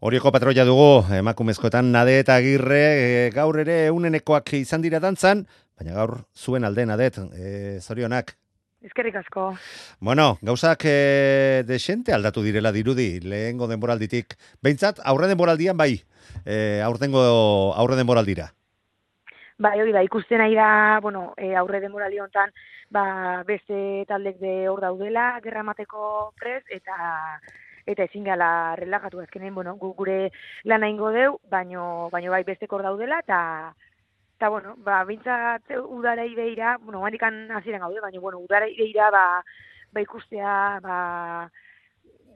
Orioko patroia dugu, emakumezkoetan Nade eta Agirre, gaur ere unenekoak izan dira dantzan, baina gaur zuen alde Nadet, zorionak. Eskerrik asko. Bueno, gauzak desente aldatu direla dirudi, lehengo denboralditik. Behintzat, aurre denboraldian bai, aurre denboraldira. Bai, hori da, ikusten nahi da, aurre denboraldi honetan, beste taldek de hor daudela, gerra emateko prest, eta ezin gala relajatu azkenen, gure lana ingo deu, baino bai bestek hor daudela, eta bintzat udarai behira, handikan hasieran gaude, baina, udarai behira, ikustea,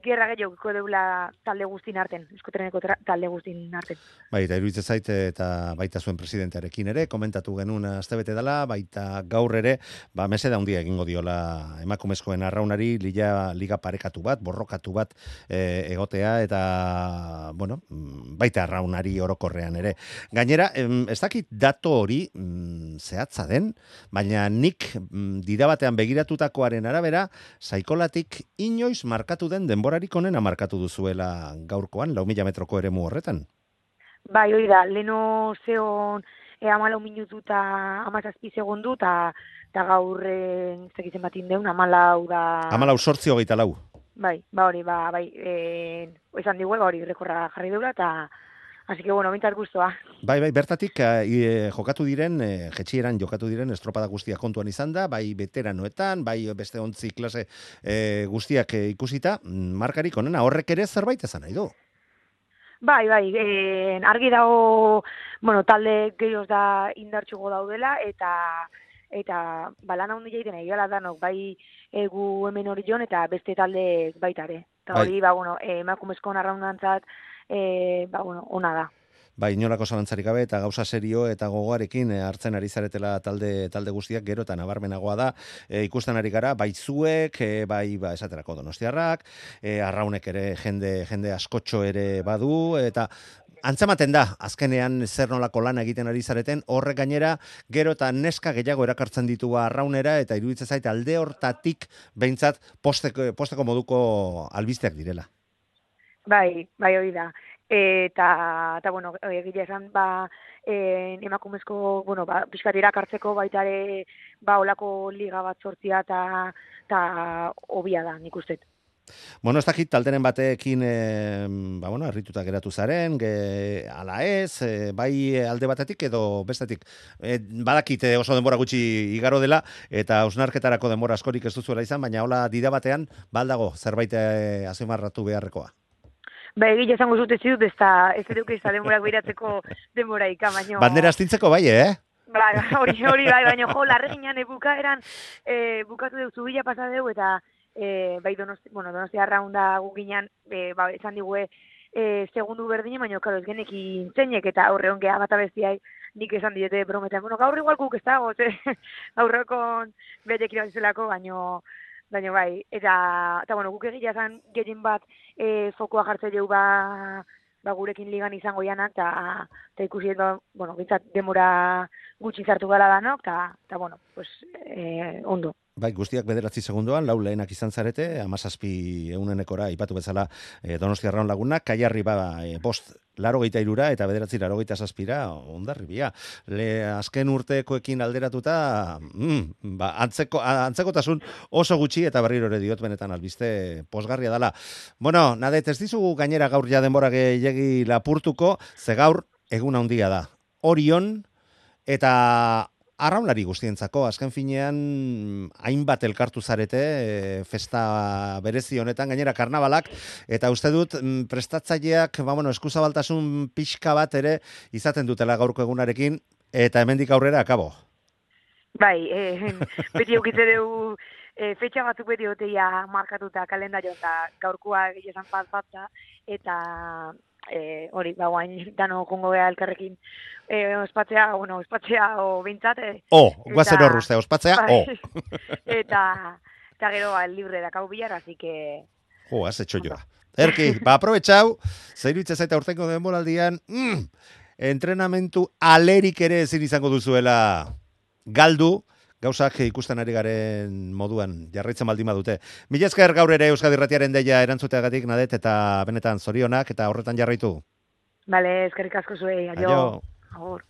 gerra gehiago deula talde guztin arten, Euskotreneko talde guztin arten. Bai, eta iruditzen zait eta baita zuen presidentearekin ere, komentatu genuen astebete dela, baita gaur ere, meseda handia egingo diola emakumezkoen arraunari, liga parekatu bat, borrokatu bat egotea, eta, baita arraunari orokorrean ere. Gainera, ez dakit dato hori zehatza den, baina nik dira batean begiratutakoaren arabera, Saikolatik inoiz markatu den denborarik onena markatu duzuela gaurkoan, 4.000 metroko eremu horretan. Bai, hori da, leno zeon 14 minutu eta 17 segundu, eta gaurren zekitzen bat indeun, 14 da... 14:24. Bai, esan digue, hori rekorra jarri deula, eta así que, bintzat guztua. Bai, bertatik jokatu diren, jetxieran jokatu diren estropada guztiak kontuan izan da, bai veteranoetan, bai beste 11 klase guztiak ikusita, markarik onena, horrek ere zerbait esan nahi du. Bai, argi dago, talde gehioz da indartxugo daudela, eta lana hundi jaiten egala danok, bai gu hemen hori joan, eta beste talde baitare. Eta hori, emakumezko narraundantzat, ona da. Bai, inolako zalantzarik gabe eta gauza serio eta gogoarekin hartzen ari zaretela talde guztiak gero eta nabarmenagoa da. Ikusten ari gara, bai zuek, bai esaterako donostiarrak, arraunek ere jende askotxo ere badu, eta antzematen da, azkenean zer nolako lana egiten ari zareten, horrek gainera gero eta neska gehiago erakartzen ditu arraunera, eta iruditzen zait alde hortatik behintzat posteko moduko albisteak direla. Bai, hori da. Eta egia esan, emakumezko, pixkat irakartzeko baitare, olako liga bat sortzia eta hobia da, nik ustet. Ez dakit talderen batekin, errituta geratu zaren, ala ez, bai alde batetik edo bestetik. Badakit oso denbora gutxi igaro dela, eta hausnarketarako denbora askorik ez duzuela izan, baina hola dida batean, baldago zerbait azimarratu beharrekoa. Egile esango zute zidut, ez duk ez da denborak behiratzeko denboraika, baina... Bandera astintzeko bai, Hori bai, baina larreginan bukaeran bukatu deu zubila pasadeu, eta Donostia arraunda guginan, esan digue segundu berdine, baina ez genekin zeinek, eta horre ongea bat abestiai nik esan diete brometan. Gaur igual guk ez dago, aurrekon betek irabazelako, baina bai, eta guk egia zan gehien bat fokoa jartze jau gurekin ligan izango janak, eta ikusi bintzat demora gutxi zartu gara danok, eta ondo. Bai, guztiak 9 segundoan, 4 lehenak izan zarete, 17 eunenekora ipatu bezala Donostia Arraun lagunak, Kaiarri 5:83 eta 9:87, ondarribia. Azken urtekoekin alderatuta, antzekotasun oso gutxi eta berriro ere diot benetan albiste posgarria dela. Nadet, ez dizugu gainera gaur ja denbora gehiegi lapurtuko, ze gaur egun handia da. Orion eta arraunlari guztientzako, azken finean hainbat elkartu zarete festa berezi honetan, gainera karnabalak, eta uste dut prestatzaileak eskuzabaltasun pixka bat ere izaten dutela gaurko egunarekin, eta hemendik aurrera akabo. Bai, beti eukitze dugu fetxa batzuk beti oteia markatuta kalendario eta gaurkoa egizan bat, eta hori, guain dano kongo beha elkarrekin ospatzea o bintzat. Guazen horruzte, ospatzea, Eta gero libre dakau bilar, así que... Has hecho joa. Erki, aprobetxau, zeiruitza zaita urtengo denboraldian, entrenamentu alerik ere ezin izango duzuela galdu, gauzak ikusten ari garen moduan jarraitzen baldin badute. Mila esker gaur ere Euskadi Irratiaren deia erantzuteagatik, Nadet, eta benetan zorionak eta horretan jarraitu. Bale, eskerrik asko zuei, aio. Aio. Agur.